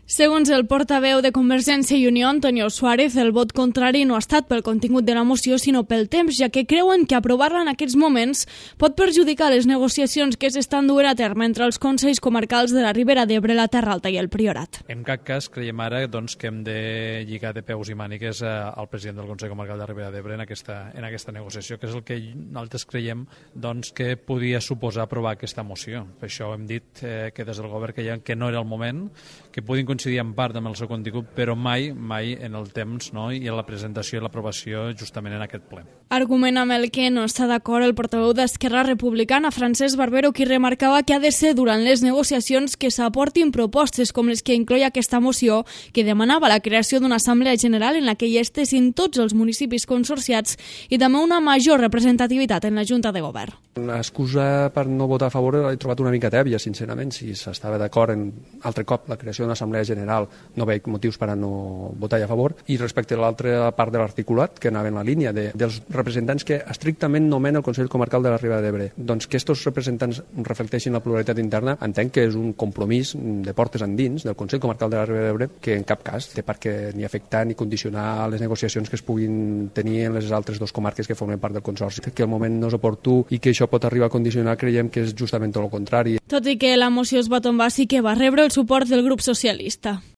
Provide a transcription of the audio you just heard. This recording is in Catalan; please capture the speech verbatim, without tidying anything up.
Segons el portaveu de Convergència i Unió, Antonio Suárez, el vot contrari no ha estat pel contingut de la moció, sinó pel temps, ja que creuen que aprovar-la en aquests moments pot perjudicar les negociacions que s'estan duent a terme entre els consells comarcals de la Ribera d'Ebre, la Terra Alta i el Priorat. En cap cas creiem ara doncs, que hem de lligar de peus i mànigues al president del Consell Comarcal de la Ribera d'Ebre en aquesta, en aquesta negociació, que és el que nosaltres creiem doncs, que podia suposar aprovar aquesta moció. Per això hem dit eh, que des del govern creiem que no era el moment, que podien coincidir en part amb el seu contingut, però mai, mai en el temps, no? I en la presentació i l'aprovació justament en aquest ple. Argument amb el que no està d'acord el portaveu d'Esquerra Republicana, Francesc Barbero, qui remarcava que ha de ser durant les negociacions que s'aportin propostes com les que incloi aquesta moció, que demanava la creació d'una assemblea general en la que hi estessin tots els municipis consorciats i també una major representativitat en la Junta de Govern. L'excusa per no votar a favor l'he trobat una mica tèbia, sincerament. Si s'estava d'acord en altre cop la creació d'una assemblea general, no veig motius per a no votar a favor. I respecte a l'altra part de l'articulat, que anava en la línia de, dels representants que estrictament nomena el Consell Comarcal de la Ribera d'Ebre, doncs que aquests representants reflecteixin la pluralitat interna, entenc que és un compromís de portes endins del Consell Comarcal de la Ribera d'Ebre que en cap cas té per què ni afectar ni condicionar les negociacions que es puguin tenir en les altres dues comarques que formen part del Consorci. Que el moment no és oportú i que això pot arribar a condicionar, creiem que és justament tot el contrari. Tot i que la moció es va tombar, sí que va rebre el suport del grup socialista.